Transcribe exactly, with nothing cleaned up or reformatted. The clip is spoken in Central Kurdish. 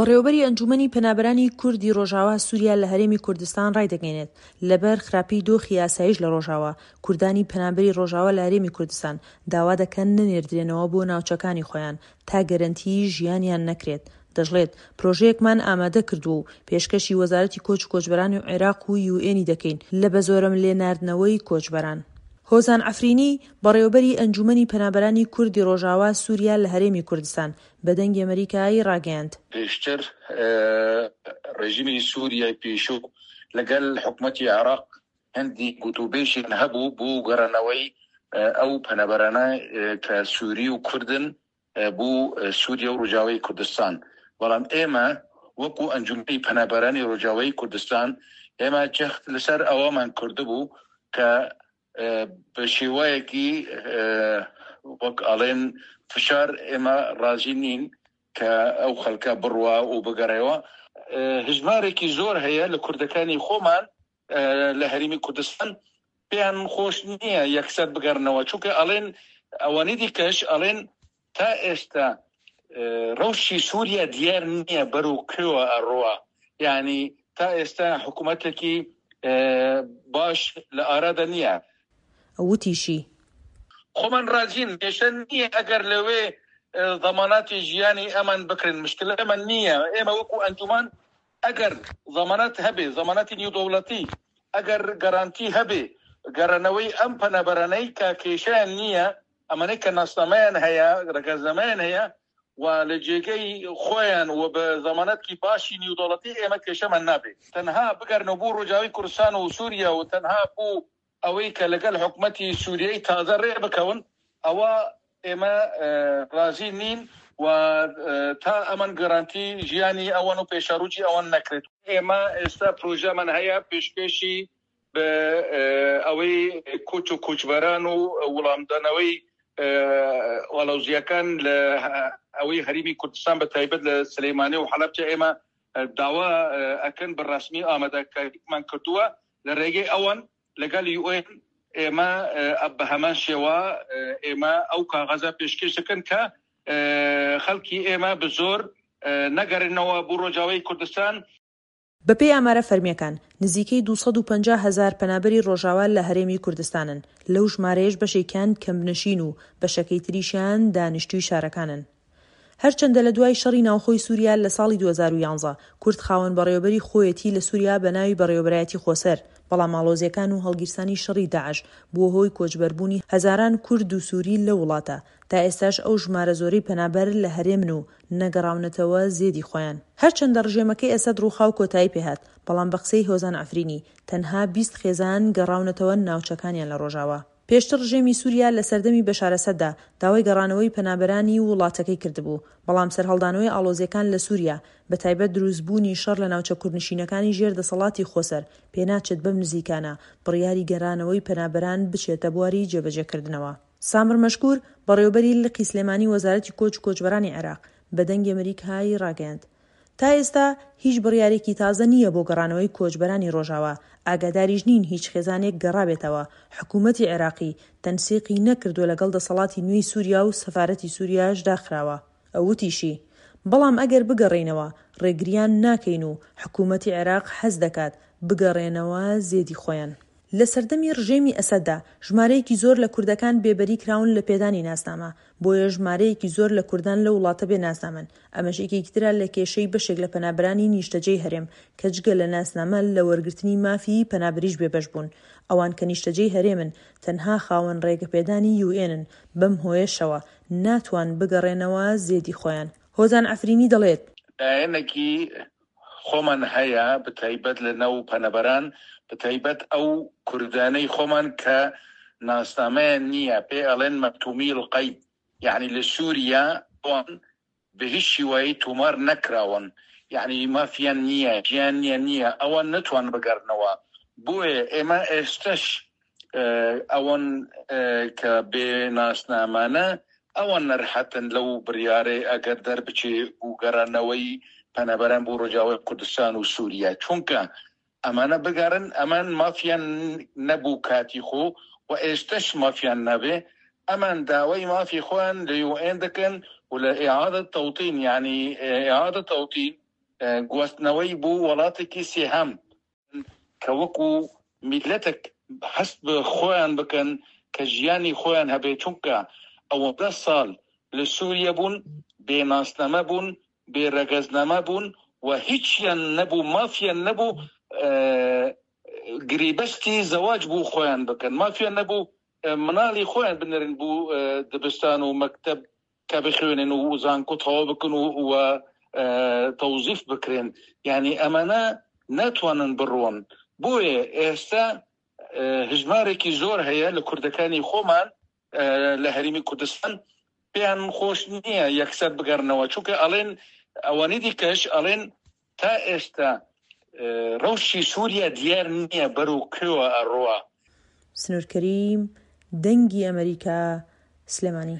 بەڕێوەبەری ئەنجومەنی پەنابەرانی کوردی ڕۆژاوا سوریا لە هەرێمی کوردستان ڕایدەگەیەنێت، لەبەر خراپی دۆخی ئاسایش لە ڕۆژاوا، کوردانی پەنابەری ڕۆژاوا لە هەرێمی کوردستان داوا دەکەن نەنێردرێنەوە بۆ ناوچەکانی خۆیان تا گەرەنتیی ژیانیان نەکرێت. دەشڵێت، پرۆژەیەکمان ئامادە کردووە و پێشکەشی وەزارەتی کۆچ و کۆچبەرانی عێراق و یوئێنی دەکەین لە بەزۆرەملێ ناردنەوەی کۆچبەران. هۆزان عەفرینی، بەڕێوەبەری ئەنجومەنی پەنابەرانی کوردی ڕۆژاوا سوریا لە هەرێمی کوردستان، بە دەنگی ئەمەریکای ڕاگەیاند. پێشتر ڕێژیمی سووریای پێشوو لەگەل حکومەتی عێراق هەندی گوتوبێژیان هەبوو بۆ گەڕانەوەی ئەو پەنابەرانە کە سووری و کوردن بۆ سووریا و ڕۆژاوای کوردستان، بەڵام ئێمە وەکو ئەنجومەنی پەنابەرانی ڕۆژاوای کوردستان ئێمە جەخت لەسەر ئەوەمان کردبوو کە بە شێوەیەکی وەک ئەڵێن فشار ئێمە ڕازی نین کە ئەو خەڵکە بڕوا و بگەڕێەوە. هەژمارێکی زۆر هەیە لە کوردەکانی خۆمان لە هەرێمی کوردستان پێیان خۆش نییە یەکسەر بگەڕنەوە، چونکە ئەڵێن ئەوانەی دیکەش ئەڵێن تا ئێستا ڕەوشی سووریا دیار نییە بەرەو کوێوە ئەڕوا، یعنی تا ئێستا حکوومەتێکی باش لە ئارادا نییە. وتیشی، خۆمان ڕازین، کێشە نییە ئەگەر لەوێ زەماناتی ژیانی ئەمان بکرن، مشکلە ئەمان نییە. ئێمە وەکو ئەنجومان ئەگەر زەمانات هەبێ، زەماناتی نیودەوڵەتی، ئەگەر گەرانتی هەبێ گەڕانەوەی ئەم پەنابەرانەی کە کێشیان نییە، ئەمانەی کە ناسنامەیان هەیە، ڕەگەزنامەیان هەیە و لە جێگەی خۆیان و بە زەمانەتکی باشی نیودەوڵەتی ئێمە کێشەمان نابێت. تەنها بگەرنەوە بۆ ڕۆژاوای کوردستان و سووریا و تەنها بۆ ئەوەی کە لەگەڵ حکومەتی سووریای تازە ڕێ بکەون، ئەوە ئێمە ڕازی نین و تا ئەمن گەرانتی ژیانی ئەوان و پێشەڕوجی ئەوان نەکرێت. ئێمە ئێستا پرۆژەمان هەیە پێشکێشی بە ئەوەی کۆچ و کۆچبەران و وەڵامدانەوەی ئاڵۆزییەکان لە ئەوەی هەرێمی کوردستان بە تایبەت لە سلەیمانی و حەلەبچە ئێمە داوا ئەکەن بە ڕەسمی ئامادەکاریمان کردووە لە ڕێگەی ئەوان لەگەڵ یوئێن ئێمە بە هەمان شێوە ئێمە ئەو کاغەزە پێشکێش دەکەن کە خەڵکی ئێمە بە زۆر نەگەڕێنەوە بۆ ڕۆژاوای کوردستان. بەپێی ئامارە فەرمییەکان، نزیکەی دوو سەد و پەنجا هەزار پەنابەری ڕۆژاوا لە هەرێمی کوردستانن، لەو ژمارەیەش بەشێکیان کەمپنشین و بەشەکەی تریشیان دانیشتووی شارەکانن. هەرچەندە لە دوای شەڕی ناوخۆی سووریا لە ساڵی دوو هەزار و یازدە کورد خاوەن بەڕێوەبەری خۆیەتی لە سووریا بە ناوی بەڕێوەبەرایەتی خۆسەر، بەڵام ئاڵۆزییەکان و هەڵگیرسانی شەڕی داعش بووە هۆی کۆچبەربوونی هەزاران کورد و سووری لەو وڵاتە. تا ئێستاش ئەو ژمارە زۆرەی پەنابەر لە هەرێمن و نەگەڕاونەتەوە زێدی خۆیان. هەرچەندە ڕژێمەکەی ئەسەد ڕووخا و کۆتایی پێهات، بەڵام بە قسەی هۆزان عەفرینی تەنها بیست خێزان گەڕاونەتەوە ناوچەکانیان لە ڕۆژاوا. پێشتر ڕژێمی سووریا لە سەردەمی بەشار ئەسەددا داوای گەڕانەوەی پەنابەرانی وڵاتەکەی کردبوو، بەڵام سەرهەڵدانەوەی ئاڵۆزییەکان لە سووریا، بەتایبەت دروستبوونی شەڕ لە ناوچە کوردنشینەکانی ژێر دەسەڵاتی خۆسەر، پێناچێت بەم نزیکانە بڕیاری گەڕانەوەی پەنابەران بچێتە بواری جێبەجێکردنەوە. سامر مەشکور، بەڕێوەبەری لقی سلێمانی وەزارەتی کۆچ و کۆچبەرانی عێراق، بە دەنگی ئەمەریکای ڕاگەیاند، تا ئێستا هیچ بڕیارێکی تازە نییە بۆ گەڕانەوەی کۆچبەرانی ڕۆژاوا، ئاگاداریش نین هیچ خێزانێک گەڕابێتەوە، حکوومەتی عێراقی تەنسیقی نەکردووە لەگەڵ دەسەڵاتی نوێی سووریا و سەفارەتی سووریاش داخراوە. ئەو وتیشی، بەڵام ئەگەر بگەڕێینەوە ڕێگریان ناکەین و حکوومەتی عێراق حەز دەکات بگەڕێنەوە زێدی خۆیان. لە سەردەمی ڕژێمی ئەسەددا ژمارەیەکی زۆر لە کوردەکان بێبەری کراون لە پێدانی ناسنامە، بۆیە ژمارەیەکی زۆر لە کوردان لەو وڵاتە بێ ناسنامەن، ئەمەش یەکێکی ترە لە کێشەی بەشێک لە پەنابەرانی نیشتەجێی هەرێم کە جگە لە ناسنامە لە وەرگرتنی مافی پەنابەریش بێبەش بوون. ئەوان کە نیشتەجێی هەرێمن تەنها خاوەن ڕێگەپێدانی یوئێنن، بەم هۆیەشەوە ناتوان بگەڕێنەوە زێدی خۆیان. هۆزان عەفرینی دەڵێت، لایەنێکی خۆمان هەیە بەتایبەت لە ناو پەنابەران، بەتایبەت ئەو کوردانەی خۆمان کە ناسنامەیان نییە، پێ ئەڵێن مەکتومی القەید، یعنی لە سووریا ئەوان بە هیچ شێوەیە تۆمار نەکراون، یعنی مافیان نییە، ژیانیان نییە، ئەوان نەتوان بگەڕنەوە. بۆیە ئێمە ئێستش ئەوان کە بێ ناسنامانە ئەوان نەرحەتن لەو بڕیارەی ئەگەر دەربچێ بۆ گەڕانەوەی پەنابەران بۆ ڕۆژاوای کوردستان و سووریا، چونکە ئەمانە بگەڕن ئەمان مافیان نەبوو کاتی خۆ و ئێستش مافیان نابێ. ئەمان داوای مافی خۆیان لە یوئێن دەکەن و لە ئیعادە تەوتین، یعنی ئیعادە تەوتین گواستنەوەی بۆ وڵاتێکی سێهەم کە وەکو میلەتێک هەست بە خۆیان بکەن کە ژیانی خۆیان هەبێت، چونکە ئەوەندە ساڵ لە سووریە بوون، بێ ناسنامە بوون، بێ ڕەگەزنامە بوون و هیچیان نەبوو، مافیان نەبوو گریبەستی زەواج بۆ خۆیان بکەن، مافیان نەبوو مناڵی خۆیان بنێرن بۆ دبستان و مەکتەب کە بخوێنن و زانکۆ تەواو بکەن و تەوزیف بکرێن. یعنی ئەمانە ناتوانن بڕۆن. بۆیە ئێستا هەژمارێکی زۆر هەیە لە کوردەکانی خۆمان لە هەرێمی کوردستان پێیان خۆش نییە یەکسەر بگەڕنەوە، چونکە ئەڵێن ئەوانەی دیکەش ئەڵێن تا ئێستا ڕەوشی سووریا دیار نییە بەرەو کوێوە ئەڕوا. سنوور کەریم، دەنگی ئەمەریکا، سلێمانی.